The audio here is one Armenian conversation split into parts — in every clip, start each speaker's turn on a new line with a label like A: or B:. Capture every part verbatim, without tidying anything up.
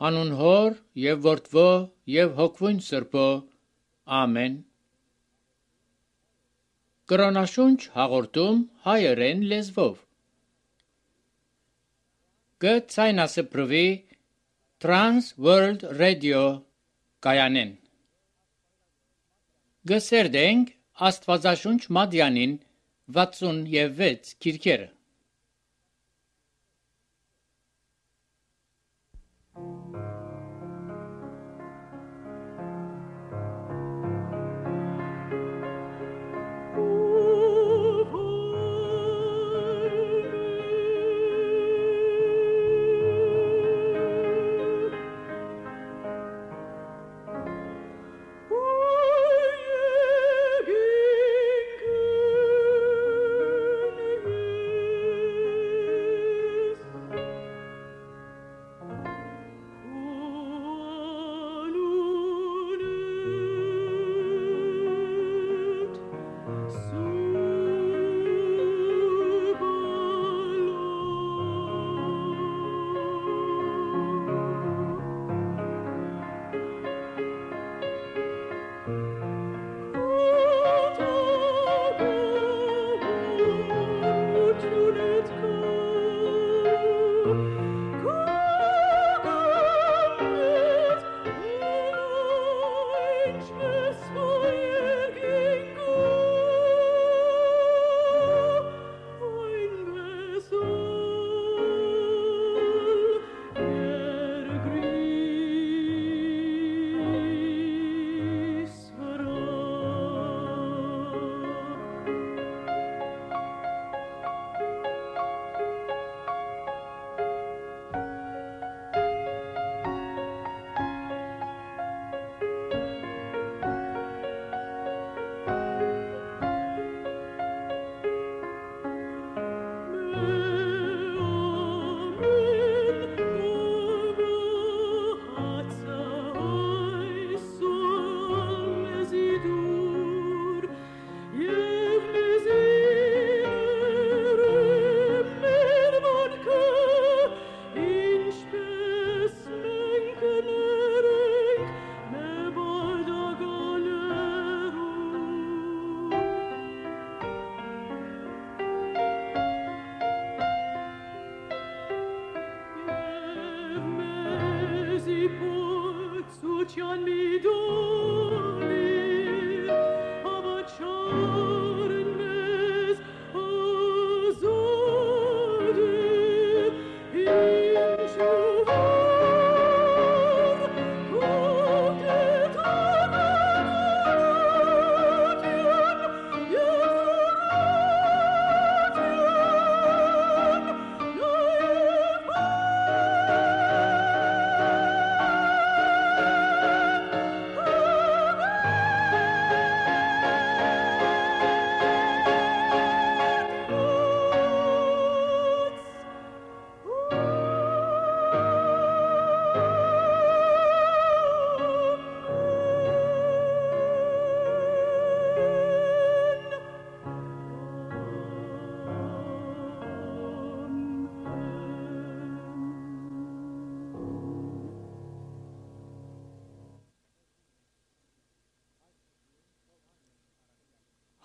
A: Անուն Հոր եւ Որդվո եւ Հոգվուն Սրբո։ Ամեն։ Կրոնաշունչ հաղորդում հայերեն լեզվով։ Գցայնասպրվի Trans World Radio կայանեն։ Գսերդենք Աստվածաշունչ Մադյանին վաթսունվեց քիրքերը։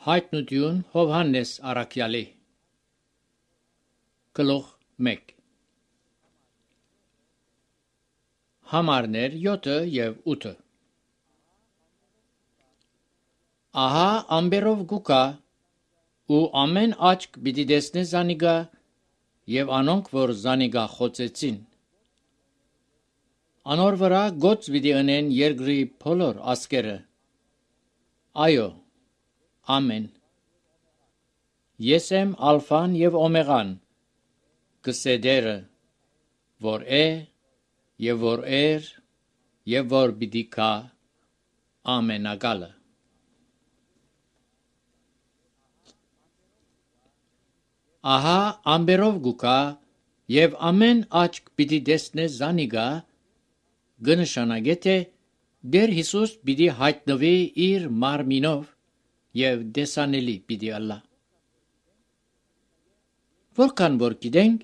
A: Հայտնություն Հովհաննես Առաքյալի գլուխ մեկ Համարներ յոթը և ութը Ահա ամբերով գուկա ու ամեն աչք պիտի տեսնե զանիգա և անոնք որ զանիգա խոցեցին անոր վրա գոց պիտի ընեն երկրի բոլոր ազգերը այո Ամեն Ես եմ ալֆան և օմեգան կսեդերը որ է և որ էր և որ պիտի գա ամենակալը Ահա ամբերով գուկա և ամեն աչք պիտի տեսնե զանիգա կնշանակե թե Դեր Հիսուս պիտի հայտնվի իր մարմինով և դեսանելի պիտի ալա։ Որքան որ գիտենք,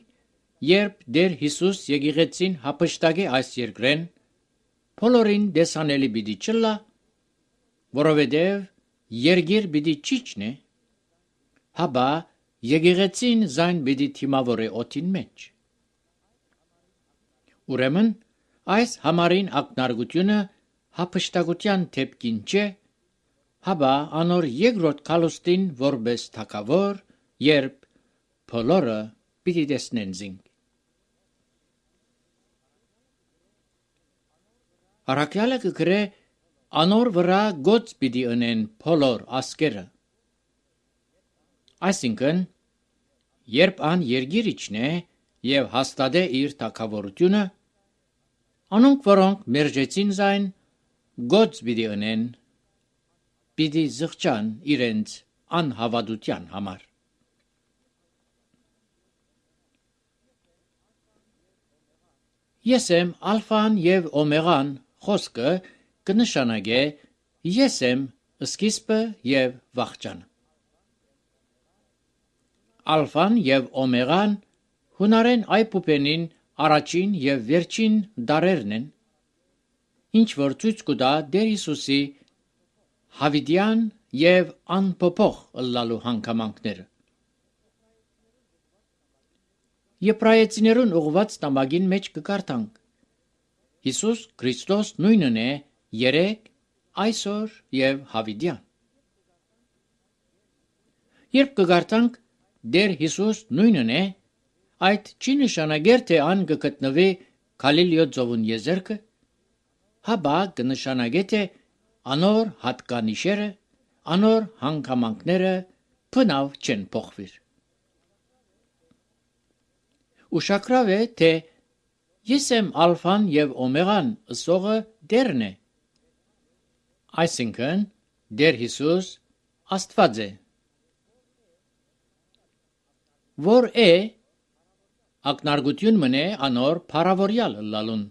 A: երբ Տեր Հիսուս եկեղեցին հափշտակե այս երկրեն, բոլորին դեսանելի պիտի չլա, որովհետև երկիր պիտի չիջնե, հաբա եկեղեցին զայն պիտի թիմավորե օդին մեջ։ Ուրեմն այս համարին ակնարկությունը հափշտակության թեփքին չէ, հաբա անոր երկրորդ քալուստին որպես թագավոր, երբ բոլորը պիտի տեսնեն զինք։ Առաքյալը կգրե անոր վրա գոց պիտի ընեն բոլոր ասկերը։ Այսինքն, երբ ան երգիր իջնե եւ հաստատե իր թագավորությունը, անոնք, որոնք մերժեցին զայն, գոց պիտի ընեն, պիտի զղջան իրենց անհավատության համար։ Ես եմ ալֆան եւ օմեգան խոսքը կնշանակե ես եմ սկիզբը եւ վախճանը։ Ալֆան եւ օմեգան հունարեն այբուբենին առաջին եւ վերջին դարերն են, ինչ որ ցույց կտա Տեր Հիսուսի հավիտյան եւ անփոփոխ ըլլալու հանգամանքները։ Եբրայեցիներուն ուղված տամագին մեջ կկարդանք. Հիսուս Քրիստոս նույնն է երեք, այսօր եւ հավիտյան։ Երբ կկարդանք Տեր Հիսուս նույնն է, այդ չի նշանակեր թե ան կգտնվի Գալիլեո ծովուն եզերքը, հաբա կնշանակե թե անոր հատկանիշերը, անոր հանգամանքները բնավ չեն փոխվիր։ Ուշագրավ է, թե ես եմ ալֆան եւ օմեգան ըսողը Տերն է, այսինքն Տեր Հիսուս Աստված է, որ է ակնարկություն մնե անոր փարավորյալ ըլլալուն,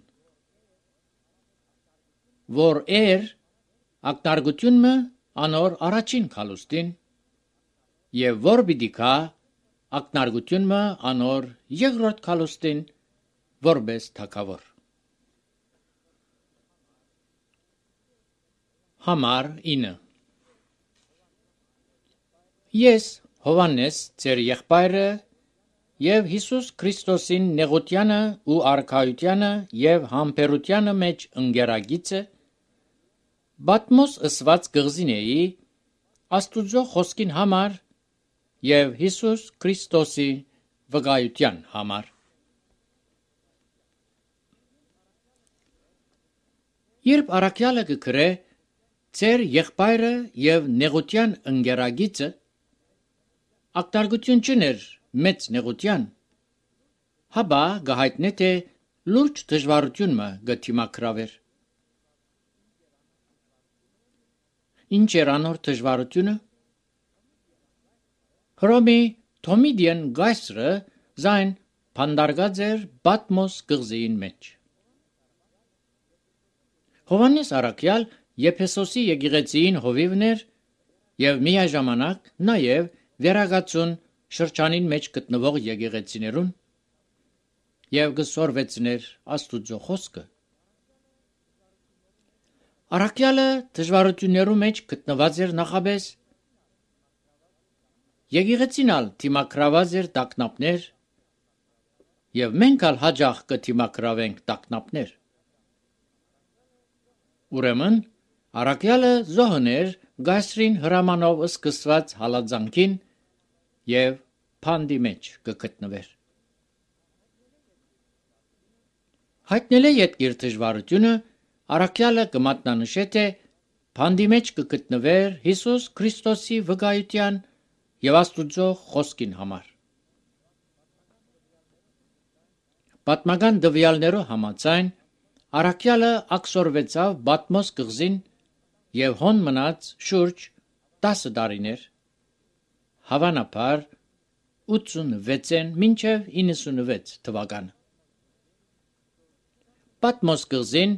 A: որ էր ակնարկություն մը անոր առաջին քալուստին եւ որ պիտի կա ակնարկություն մը անոր երկրորդ քալուստին որպես թագավոր։ Համար ինը Ես Հովանես ձեր եղբայրը եւ Հիսուս Քրիստոսին նեղությանը ու արքայությանը եւ համբերությանը մեջ ընկերագիցը Բատմոս ըսված գղզինեի Աստուծո խոսքին համար եւ Հիսուս Քրիստոսի վկայության համար։ Երբ առաքյալը կգրե ձեր եղբայրը եւ նեղության ընկերագիցը ակտարգություն չներ մեծ նեղության, հաբա գահայտնե թե լուրջ դժվարություն մը գտիմակրավեր։ Ինչ էր անոր դժվարությունը։ Հռոմի Թոմիդիան գայսրը զայն փանդարգած էր Բատմոս գղզիին մեջ։ Հովանես առաքյալ Եփեսոսի եկեղեցին հովիվն էր եւ միաժամանակ նաեւ վերագացուն շրջանին մեջ գտնվող եկեղեցիներուն եւ գսորվեցներ Աստուծո խոսքը։ Առաքյալը դժվարություններու մեջ գտնված էր նախաբես եկեղեցինալ թիմակրաված էր տակնապներ եւ մենք ալ հաջող կթիմակրավենք տակնապներ։ Ուրեմն առաքյալը զոհներ գայսրին հրամանով սկսված հալածանքին եւ փանդի մեջ կգտնվեր։ Հայտնել է իր դժվարությունը առաքյալը կմատնանշե թե փանդի մեջ կգտնվեր Հիսուս Քրիստոսի վկայության եւ Աստուծո խոսքին համար։ Պատմական դվյալներով համաձայն առաքյալը ակսորվեցավ Բատմոս գղզին եւ հոն մնաց շուրջ տասը տարիներ, հավանաբար ութսունվեցն մինչև իննսունվեց թվականը։ Պատմոս գղզին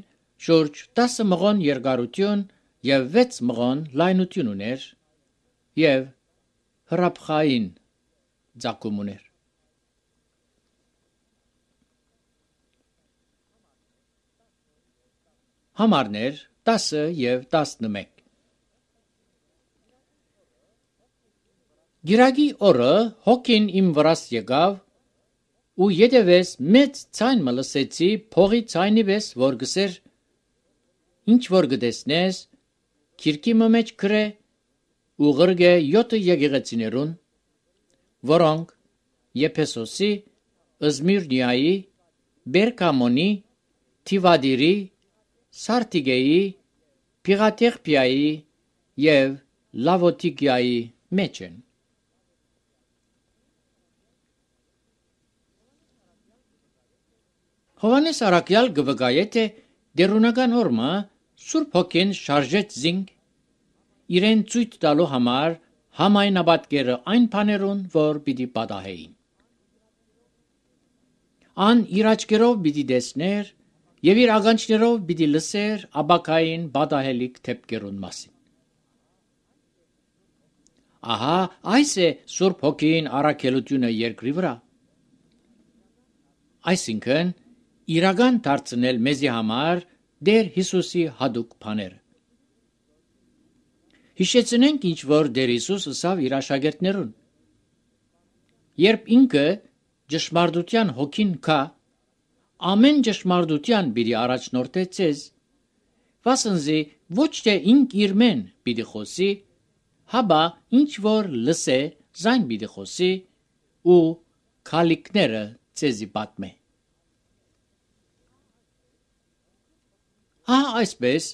A: շուրջ տասը մղոն երկարություն եւ վեց մղոն լայնություն ուներ եւ հրաբխային ծագում ուներ։ Համարներ տասը և տասնմեկ։ Գիրագի օրը հոգին իմ վրաս եկավ, ու ետևես մեծ ցայն մը լսեցի փողի ցայնի պես, որ գսեր, ինչ որ գտեսնես, քիրքի մը մեջ գրե ու ղրգե յոթը եկեղեցիներուն, որոնք Եփեսոսի, Զմիրնիայի, Բերգամոնի, Թիվադիրի, Սարտիգեի, Փիղաթեղփիայի և Լավոդիկիայի մեջ են։ Հովհաննես առաքյալ գվգայե թե դերունական օրմը Սուրբ Հոգին շարժեց զինք իրեն ցույց տալու համար համայնապատկերը այն բաներուն, որ պիտի պատահեին։ Ան իր աչքերով պիտի տեսներ և իր ականջներով պիտի լսեր ապագային պատահելիք դեպքերուն մասին։ Ահա այս է Սուրբ Հոգին առաքելությունը երկրի վրա, այսինքն իրական դարձնել մեզի համար Տեր Հիսուսի հատուկ բաները։ Հիշեցնենք ինչ որ Տեր Հիսուս ըսավ իր աշակերտներուն։ Երբ ինքը ճշմարտության հոգին կա, ամեն ճշմարտության պիտի առաջնորդե ձեզ, վասնզի ոչ թե ինք իր մեն պիտի խոսի, հաբա ինչ որ լսե, զայն պիտի խոսի ու քալիքները ձեզի պատմե։ Ահա այսպես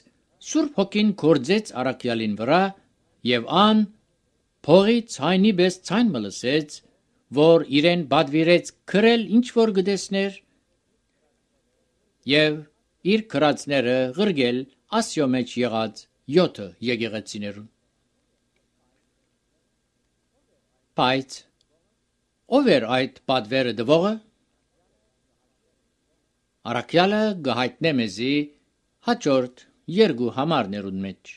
A: Սուրբ Հոգին գործեց առաքյալին վրա և ան փողի ցայնի պես ցայն մը լսեց, որ իրեն պատվիրեց գրել ինչ որ գտեսներ և իր գրածները ղրգել Ասիո մեջ եղած յոթը եկեղեցիներուն։ Բայց ով էր այդ պատվերը տվողը։ Առաքյալը գահիտնե մեզի հաջորդ երկու համարներուն մեջ։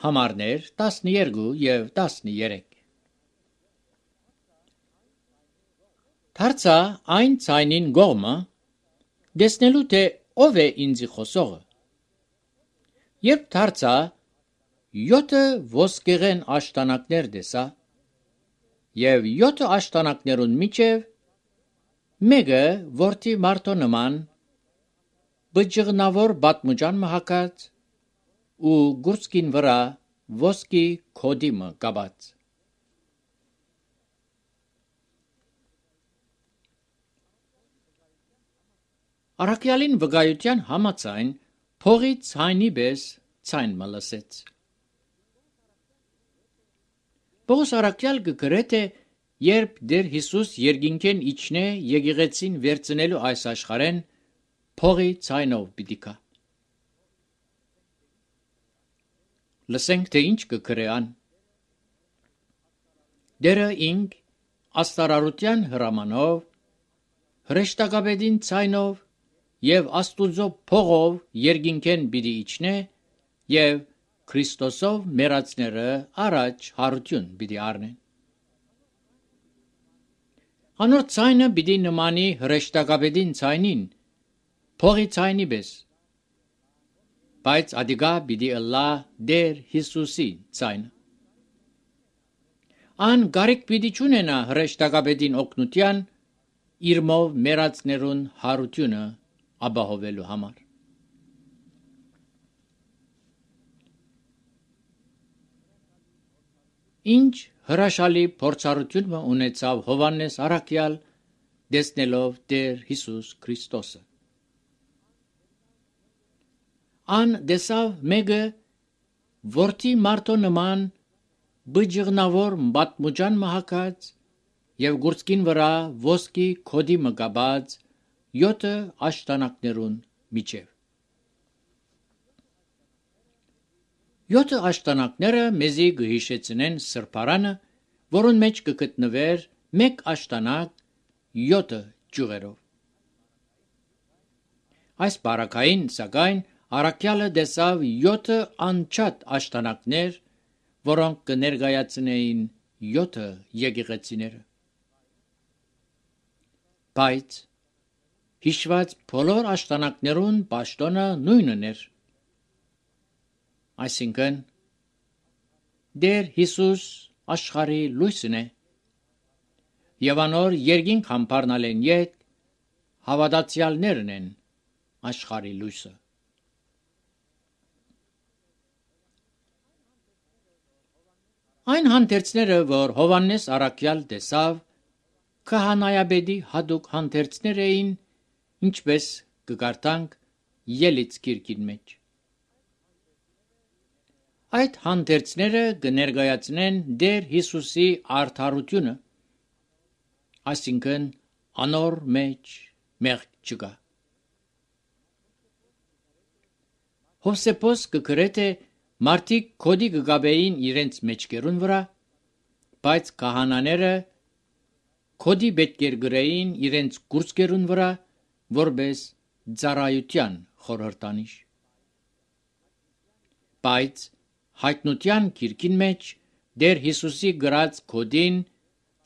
A: Համարներ տասներկու և տասներեք։ Դարձա այն ցայնին գողմը, տեսնելու թե ով է ինձի խոսողը։ Երբ դարձա, յոթը ոսկեղեն աշտանակներ տեսա, և յոթը աշտանակներուն միջև մեկը որդի մարդու նման, բջիղնավոր պատմուջան մը հագած ու գուրծքին վրա ոսկի քոդի մը կապած։ Առաքյալին վկայության համաձայն փողի ցայնի պես ցայն մը լսեց։ Պողոս առաքյալ կգրե թե երբ Տեր Հիսուս երկինքեն իջնե եկեղեցին վերցնելու այս աշխարհեն, փողի ցայնով պիտի գա։ Լսենք թե ինչ կգրե ան։ Տերը ինք աստարարության հրամանով, հրեշտակապետին ցայնով և Աստուծո փողով երկինքեն պիտի իջնե և Քրիստոսով մեռածները առաջ հարություն պիտի առնեն։ Անոր ցայնը պիտի նմանի հրեշտակապետին ցայնին, փողի ցայնի պես, բայց ադիգա պիտի ըլլա Տեր Հիսուսի ցայնը։ Ան կարիք պիտի չունենա հրեշտակապետին օգնության իրմով մեռածներուն հարությունը ապահովելու համար։ Ինչ հրաշալի փորձառություն մը ունեցավ Հովհաննես առաքյալ տեսնելով Տեր Հիսուս Քրիստոսը։ Ան տեսավ մեկը որդի մարդու նման բջիղնավոր պատմուջան մը հագած և գուրծքին վրա ոսկի քոդի մը կապած յոթը աշտանակներուն միջև։ Յոթը աշտանակները մեզի կհիշեցնեն սրբարանը, որուն մեջ կգտնվեր մեկ աշտանակ յոթը ճյուղերով։ Այս բարակային սակայն առաքյալը տեսավ յոթը անչափ աշտանակներ, որոնք կներկայացնեին յոթը եկեղեցիները։ Բայց հիշված բոլոր աշտանակներուն պաշտոնը նույնն էր։ Այսինքն, Տեր Հիսուս աշխարհի լույսն է, եւ անոր երկինք համբարնալեն ետ հավատացյալներն են աշխարհի լույսը։ Այն հանդերձները, որ Հովաննես առաքյալ տեսավ, քահանայապետի հատուկ հանդերձներ էին, ինչպես կկարդանք Ելից գիրքին մեջ։ Այդ հանդերձները կներկայացնեն Տեր Հիսուսի արդարությունը, այսինքն անոր մեջ մեղք չկա։ Հովսեփոս կգրե թե մարդիկ քոդի կգաբեին իրենց մեջքերուն վրա, բայց քահանաները քոդի պետքեր գրեին իրենց կուրծքերուն վրա, որպես ծառայության խորհրդանիշ։ Բայց հայտնության գիրքին մեջ Տեր Հիսուսի գրած քոդին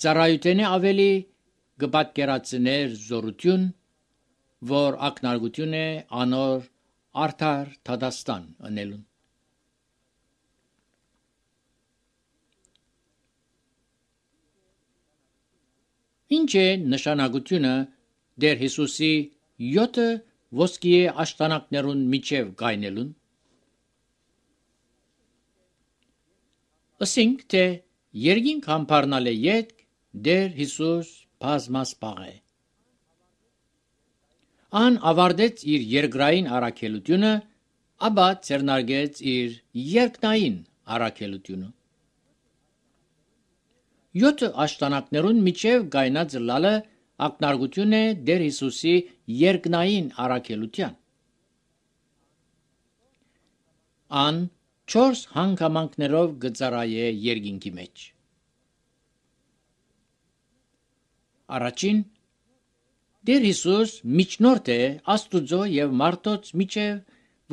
A: ծառայութենը ավելի կպատկերացներ զորություն, որ ակնարկություն է անոր արդար դատաստան ընելուն։ Ինչ է նշանակությունը Տեր Հիսուսի յոթը ոսկիե աշտանակներուն միջև գայնելուն։ Ասենք թե երկինք համբարնալ է ետք Տեր Հիսուս բազմասպաղ է։ Ան ավարտեց իր երկրային առաքելությունը, ապա ձեռնարկեց իր երկնային առաքելությունը։ Յոթ աշտանակներուն միջև գայնած լալը ակնարկություն է Տեր Հիսուսի երկնային առաքելության։ Ան չորս հանգամանքներով գծարայե երկինքի մեջ։ Առաջին, Տեր Հիսուս միջնորդ է Աստուծո եւ մարդոց միջև,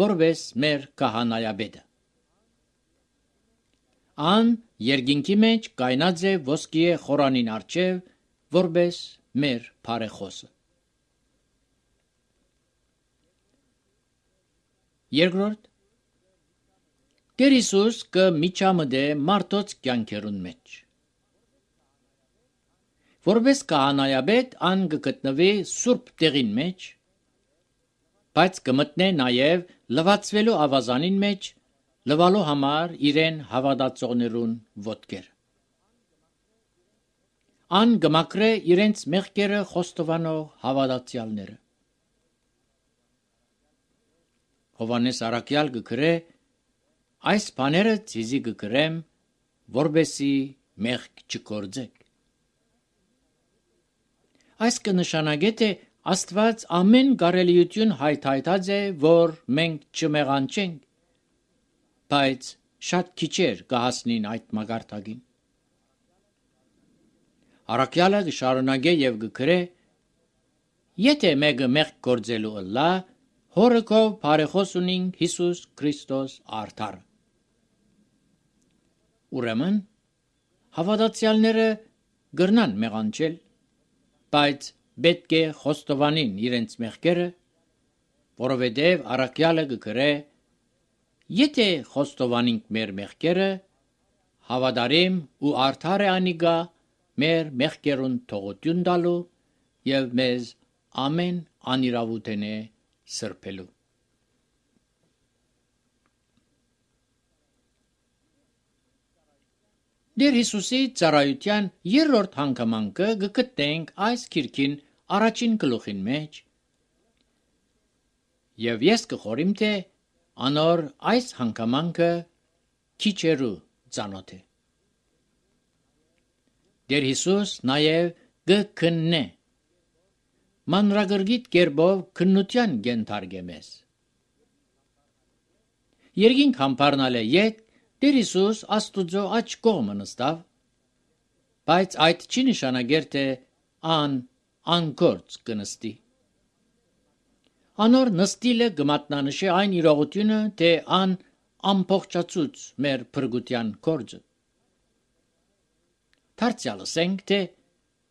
A: որպես մեր քահանայապետը։ Ան երկինքի մեջ կայնած է ոսկիե խորանին առջև, որպես մեր բարեխոսը։ Երկրորդ, Տեր Հիսուս կը միջամտե մարդոց կյանքերուն մեջ։ Որպես քահանայապետ ան կգտնվի սուրբ տեղին մեջ, բայց կմտնե նաև լվացվելու ավազանին մեջ, լվալու համար իրեն հավատացողներուն ոտքեր։ Ան կմաքրե իրենց մեղքերը խոստովանող հավատացյալները։ Հովանես առաքյալ կգրե. այս բաները ցիզի կգրեմ, որբեսի մեղք չկործեք։ Այս կնշանակե թե Աստված ամեն կարելիություն հայթայթած է, որ մենք չմեղանչենք, բայց շատ քիչեր կհասնին այդ մագարտակին։ Առաքյալը կշարունակե եւ կգրե. եթե մեկը մեղք գործելու ըլլա, հորը քո բարեխոս ունինք Հիսուս Քրիստոս արդար։ Ուրեմն հավատացյալները գրնան մեղանչել, բայց պետք է խոստովանին իրենց մեղքերը, որովհետև առաքյալը կգրե. եթե խոստովանենք մեր մեղքերը, հավատարիմ ու արդար է անիկա մեր մեղքերուն թողություն տալու եւ մեզ ամեն անիրավութենե սրբելու։ Տեր Հիսուսի ծառայության երրորդ հանգամանքը կգտնենք այս գիրքին առաջին գլուխին մեջ, եւ ես կխորիմ թե անոր այս հանգամանքը քիչերու ծանոթ է։ Տեր Հիսուս նաեւ կքննե մանրագրգիտ կերպով քննության գենթարգե մեզ։ Երկինք համբարնալ է ետ Տեր Հիսուս Աստուծո աջ կողմը նստավ, բայց այդ չի նշանակեր թե ան անգործ կնստի։ Անոր նստիլը կմատնանշի այն իրողությունը, թե ան ամբողջացուց մեր փրկության գործը։ Դարձյալ ասենք, թե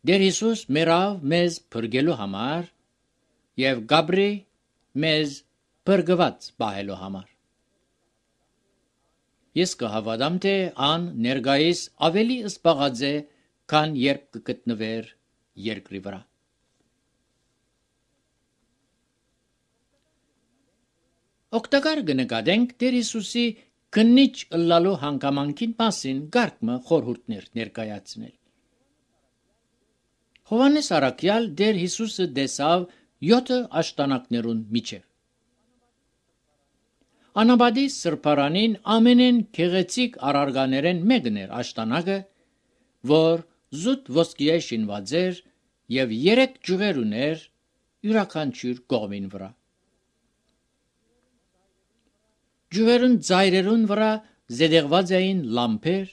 A: Տեր Հիսուս մեռավ մեզ փրկելու համար, եւ գաբրի մեզ բրգված բահելու համար։ Ես կհավատամ, թե ան ներգայիս ավելի սպաղած է, քան երբ կգտնվեր երկրի վրա։ Օգտակար կնկատենք Տեր Հիսուսի քննիչ ըլլալու հանգամանքին մասին գարկմը խորհուրդներ ներկայացնել։ Հովհաննես առաքյալ Տեր Հիսուսը տեսավ յոթ աշտանակներուն միջև։ Անաբադի սրբարանին ամենեն գեղեցիկ արարգաներեն մեկն էր աշտանակը, որ զուտ ոսկիե շինված էր եւ երեք ջուղեր ուներ յուրաքանչյուր կողմին վրա։ Ջուղերուն ծայրերուն վրա զետեղված էին լամպեր,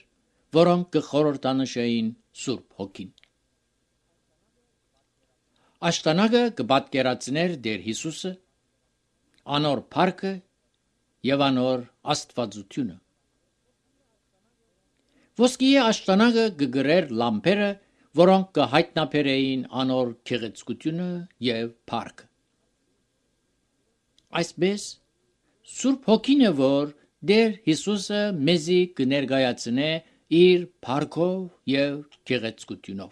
A: որոնք կխորհրդանշեին Սուրբ Հոգին։ Աշտանակը կպատկերացներ Տեր Հիսուսը, անոր փառքը եւ անոր աստվածությունը։ Ոսկիե աշտանակը կգրեր լամպերը, որոնք կհայտնաբերեին անոր գեղեցկությունը եւ փառքը։ Այսպես Սուրբ Հոգին է, որ Տեր Հիսուսը մեզի կներկայացնե իր փառքով եւ գեղեցկությունով։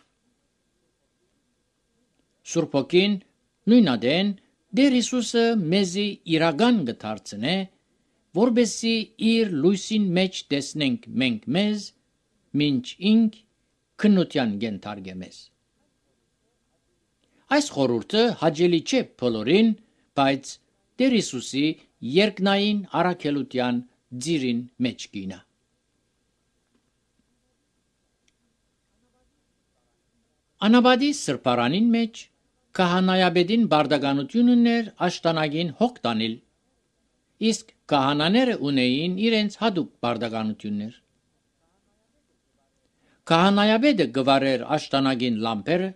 A: Սուրբ Հոգին նույնադեն Տեր Հիսուսը մեզի իրական կդարձնե, որբեսի իր լույսին մեջ տեսնենք մենք մեզ, մինչ ինք քննության գենթարգեմես։ Այս խորհուրդը հաճելի չէ բոլորին, բայց Տեր Հիսուսի երկնային առաքելության ծիրին մեջ կինա։ Անաբադի սրբարանին մեջ քահանայապետին բարդականություն ուներ աշտանագին հոգ տանել, իսկ քահանաները ունեին իրենց հատուկ բարդականություններ։ Քահանայապետը գվարեր աշտանագին լամպերը,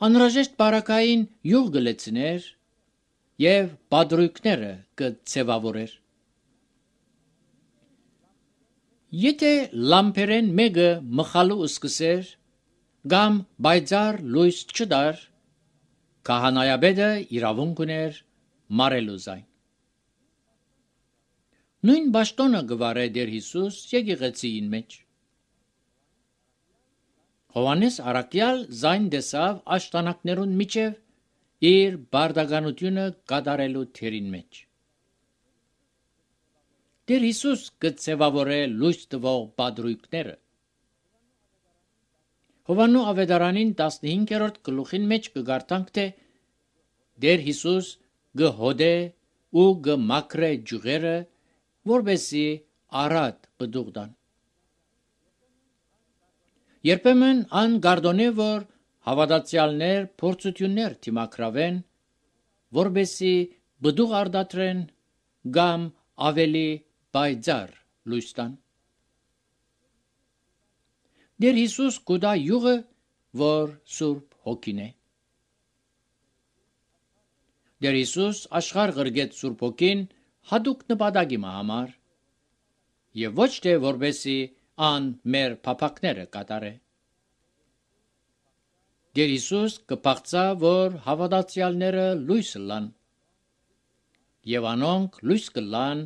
A: անհրաժեշտ բարակային յուղ գլեցներ եւ բադրույքները կցևավորեր։ Եթե լամպերեն մեկը մխալու սկսեր կամ բայցար լույս չդար, քահանայապետը իրավունք ուներ մարելու զայն։ Նույն բաշտոնը գվարե Տեր Հիսուս եկեղեցիին մեջ։ Հովհաննես առաքյալ զայն տեսավ աշտանակներուն միջև իր բարդականությունը կատարելու թերին մեջ։ Տեր Հիսուս կցևավորե լույս տվող բադրույքները։ Հովաննու ավետարանին տասնհինգերորդ գլուխին մեջ կգարտանք, թե Տեր Հիսուս գհոդե ու գմակրե ջուղերը, որբեսի արատ բդուղդան։ Երբեմն ան գարդոնե, որ հավատացյալներ փորձություններ թիմակրավեն, որբեսի բդուղ արդատրեն կամ ավելի բայցար լույս տան։ Տեր Հիսուս կուտա յուղը, որ Սուրբ Հոգին է։ Տեր Հիսուս աշխարհ ղրգեց Սուրբ Հոգին հատուկ նպատակի համար եւ ոչ թե որբեսի ան մեր փափակները կատարե։ Տեր Հիսուս կփաղցա, որ հավատացյալները լույս լան եւ անոնք լույս կլան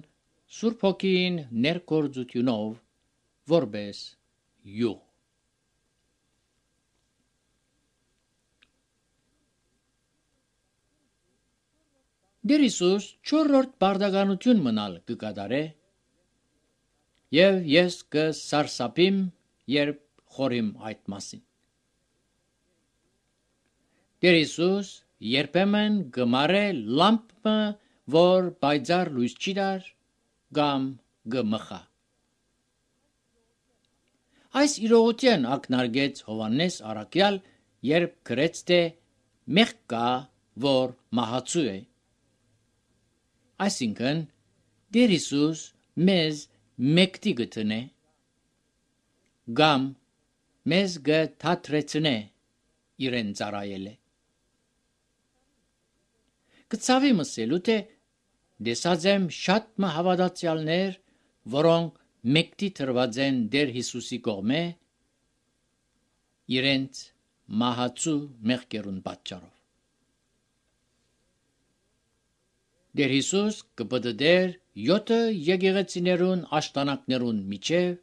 A: Սուրբ Հոգին ներկործությունով որբես յուղ։ Տեր Հիսուս չորրորդ բարդականություն մնալ կկատարե եւ ես կսարսափիմ, երբ խորիմ այդ մասին։ Տեր Հիսուս երբեմն գմարե լամպը, որ բայցար լույս չի դար, կամ գմխա։ Այս իրողության ակնարկեց Հովհաննես առաքյալ, երբ գրեց, թե մեղք կա, որ մահացու է։ Այսինքն Տեր Հիսուս մեզ մեկտի գտնե, կամ մեզ գթաթրեցնե իրեն ծառայելը։ Կցավի մսելու, թե դեսած եմ շատ մը հավատացյալներ, որոնք մեկտի թրված են Տեր Հիսուսի կողմե, իրենց մահացու մեղքերուն պատճառով։ Դեր Հիսուս կպտդեր յոթը եկեղեցիներուն աշտանակներուն միջև,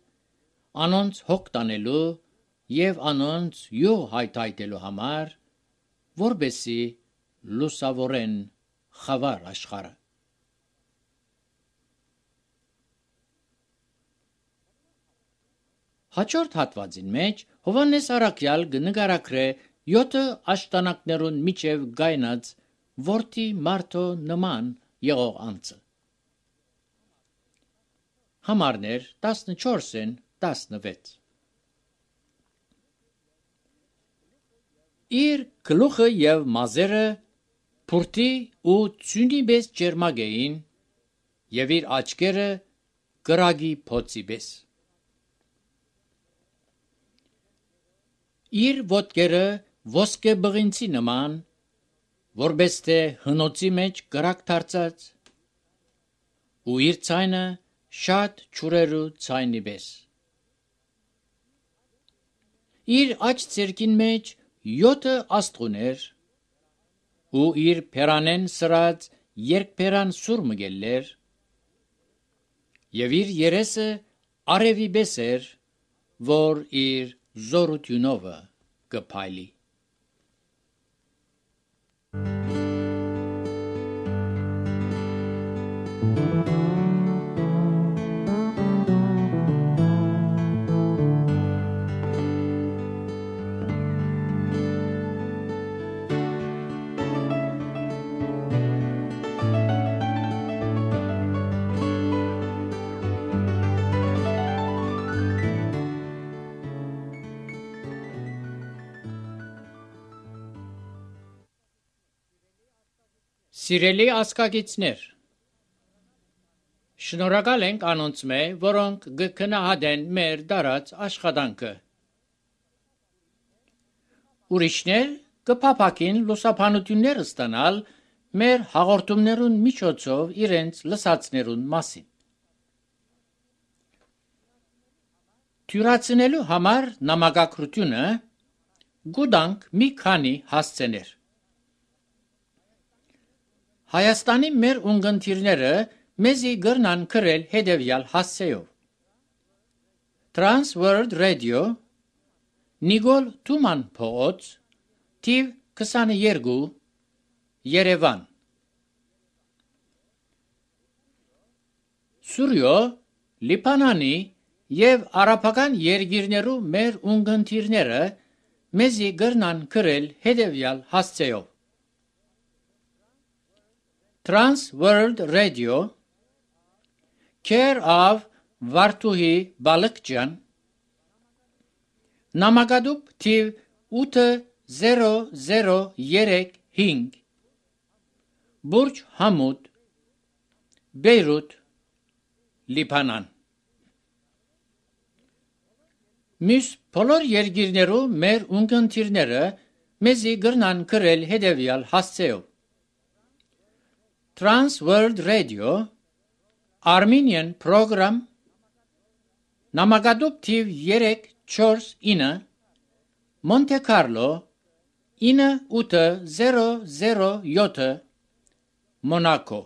A: անոնց հոգ տանելու և անոնց յուղ հայթայթելու համար, որբեսի լուսավորեն խավար աշխարը։ Հաջորդ հատվածին մեջ Հովհաննես առաքյալ կնկարագրե յոթը աշտանակներուն միջև գայնած որդի մարդո նման եղող անձը։ Համարներ տասնչորսին տասնվեց։ Իր գլուխը և մազերը փուրդի ու ծյունի պես ճերմակ էին և իր աչքերը կրակի փոցի պես։ Իր ոտքերը ոսկե բղինցի նման, որպես թե հնոցի մեջ կրակ դարձած, ու իր ձայնը շատ ջուրերու ձայնի պես։ Իր աջ ձեռքին մեջ յոթը աստղուներ, ու իր փերանեն սրած երկփերան սուր մգելներ, և իր երեսը արևի պես էր, որ իր զորությունովը կփայլի։ Սիրելի ազգագիցներ, շնորհակալ ենք անոնց մե, որոնք կգնահատեն մեր դարած աշխատանքը։ Ուրիշներ կփափակին լուսաբանություններ ստանալ մեր հաղորդումներուն միջոցով իրենց լսածներուն մասին։ Թյուրացնելու համար նամակագրությունը գուտանք մի քանի հասցեներ։ Հայաստանի մեր ունգընտիրները մեզի գրնան գրել հետևյալ հասցեով. Trans World Radio, Նիկոլ Թուման փողոց, թիվ քսաներկու, Երևան։ Սուրյո, Լիբանանի և արաբական երկիրներու մեր ունգընտիրները մեզի գրնան գրել հետևյալ հասցեով. Trans World Radio, Care of Վարդուհի Բալկջյան, նամակադուպ թիվ ութ զերո զերո երեք հինգ, Բուրջ Համուդ, Բեյրութ, Լիբանան։ Մյուս բոլոր երկիրներու մեր ունգընտիրները մեզի գրնան գրել հետևյալ հասցեով. Trans World Radio, Armenian Program, նամակադուպ թիվ երեք չորս ինը, Monte Carlo, ինը ութ զերո զերո յոթ, Monaco։